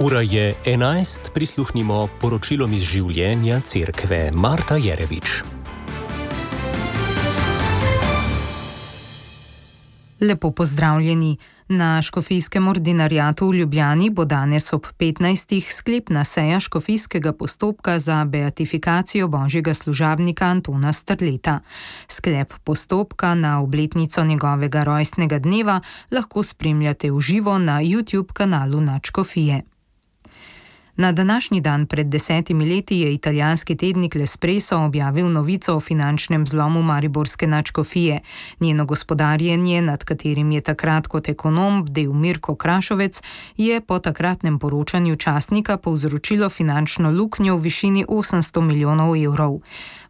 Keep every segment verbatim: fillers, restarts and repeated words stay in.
Ura je enajst, prisluhnimo poročilom iz življenja cerkve. Marta Jerevič. Lepo pozdravljeni. Na škofijskem ordinariatu v Ljubljani bo danes ob petnajstih sklepna seja škofijskega postopka za beatifikacijo božjega služabnika Antona Strleta. Sklep postopka na obletnico njegovega rojstnega dneva lahko spremljate v živo na YouTube kanalu Nadškofije. Na današnji dan pred desetimi leti je italijanski tednik L'Espresso objavil novico o finančnem zlomu mariborske nadškofije. Njeno gospodarjenje, nad katerim je takrat kot ekonom bdel Mirko Krašovec, je po takratnem poročanju časnika povzročilo finančno luknjo v višini osemsto milijonov evrov.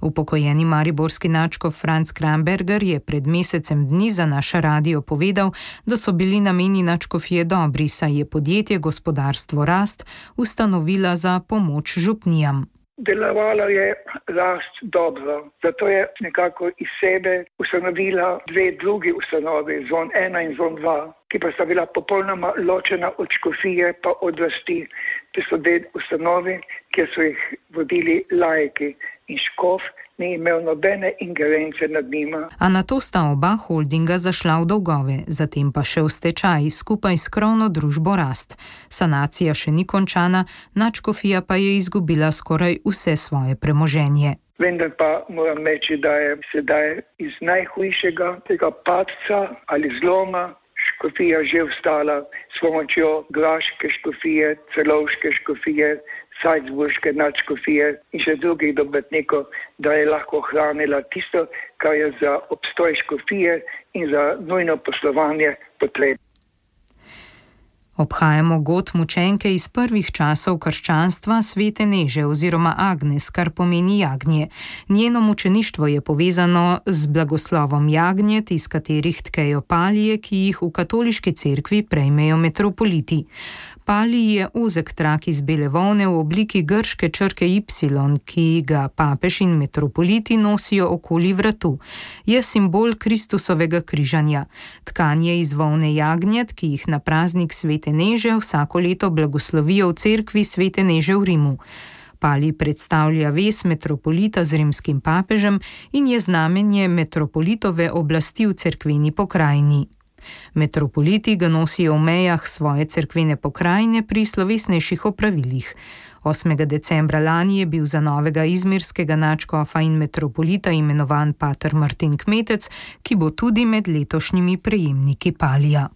Upokojeni mariborski nadškof Franc Kramberger je pred mesecem dni za naš radio povedal, da so bili nameni nadškofije dobri, saj je podjetje Gospodarstvo Rast ustanovila za pomoč župnijam. Delovalo je Rast dobro, zato je nekako iz sebe ustanovila dve drugi ustanovi, Zon ena in Zon dva, ki pa sta bila popolnoma ločena od škofije pa od Rasti. Te so dve ustanovi, kjer so jih vodili laiki in škof ni imel nobene ingerence nad njima. A nato sta oba holdinga zašla v dolgove, zatem pa še v stečaj skupaj s krovno družbo Rast. Sanacija še ni končana, nadškofija pa je izgubila skoraj vse svoje premoženje. Vendar pa moram reči, da je sedaj iz najhujšega tega padca ali zloma škofija že vstala s pomočjo graške škofije, celovške škofije, salzburške nadškofije in še drugih dobitnikov, da je lahko hranila tisto, kar je za obstoj škofije in za nujno poslovanje potrebno. Obhajamo god mučenke iz prvih časov krščanstva Svete Neže oziroma Agnes, kar pomeni jagnje. Njeno mučeništvo je povezano z blagoslovom jagnjet, iz katerih tkejo palije, ki jih v katoliški cerkvi prejmejo metropoliti. Palij je ozek trak iz bele volne v obliki grške črke Y, ki ga papež in metropoliti nosijo okoli vratu. Je simbol Kristusovega križanja. Tkanje iz volne jagnjet, ki jih na praznik Svete Neže vsako leto blagoslovijo v cerkvi Svete Neže v Rimu. Palij predstavlja vez metropolita z rimskim papežem in je znamenje metropolitove oblasti v cerkveni pokrajini. Metropoliti ga nosijo v mejah svoje cerkvene pokrajine pri slovesnejših opravilih. osmega decembra lani je bil za novega izmirskega nadškofa in metropolita imenovan pater Martin Kmetec, ki bo tudi med letošnjimi prejemniki palija.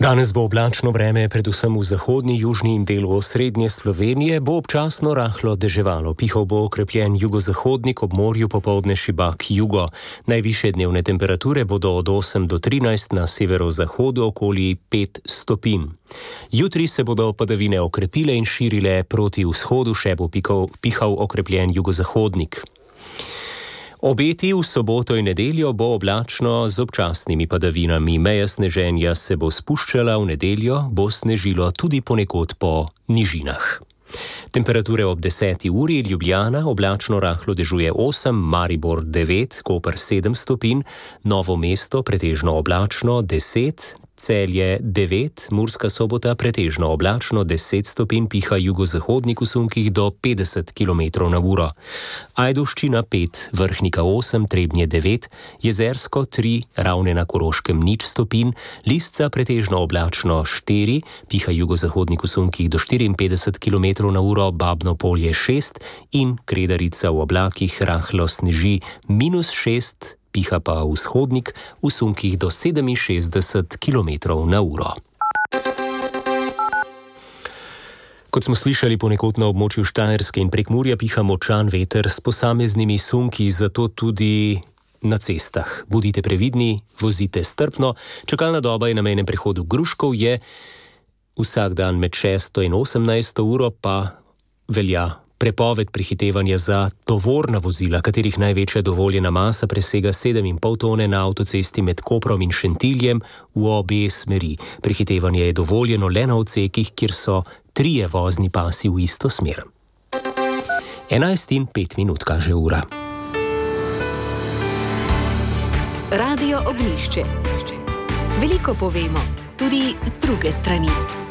Danes bo oblačno vreme, predvsem v zahodni, južni in delu osrednje Slovenije, bo občasno rahlo deževalo. Pihal bo okrepljen jugozahodnik, ob morju popoldne šibak jugo. Najvišje dnevne temperature bodo od osem do trinajst, na severozahodu okoli pet stopinj. Jutri se bodo padavine okrepile in širile proti vzhodu, še bo pihal, pihal okrepljen jugozahodnik. Obeti v soboto in nedeljo bo oblačno z občasnimi padavinami. Meja sneženja se bo spuščala, v nedeljo bo snežilo tudi ponekod po nižinah. Temperature ob deseti uri: Ljubljana oblačno rahlo dežuje osem, Maribor devet, Koper sedem stopinj, Novo mesto pretežno oblačno deset, Celje devet, Murska Sobota pretežno oblačno deset stopinj, piha jugozahodnik v sunkih do petdeset kilometrov na uro. Ajdovščina pet, Vrhnika osem, Trebnje devet, Jezersko tri, Ravne na Koroškem nič stopinj, Lisca pretežno oblačno štiri, piha jugozahodnik v sunkih do štiriinpetdeset kilometrov na uro, Babno Polje šest in Kredarica v oblakih rahlo sneži minus šest, piha pa vzhodnik v sunkih do sedeminšestdeset kilometrov na uro. Kot smo slišali, ponekod na območju Štajerske in Prekmurja piha močan veter s posameznimi sunki, zato tudi na cestah. Bodite previdni, vozite strpno. Čakalna doba je na mejnem prehodu Gruškov je vsak dan med šesto in osemnajsto uro, pa velja prepoved prehitevanja za tovorna vozila, katerih največja dovoljena masa presega sedem in pol tone na avtocesti med Koprom in Šentiljem v obe smeri. Prehitevanje je dovoljeno le na odsekih, kjer so trije vozni pasi v isto smer. enajst in pet minut kaže ura. Radio Ognjišče. Veliko povemo, tudi z druge strani.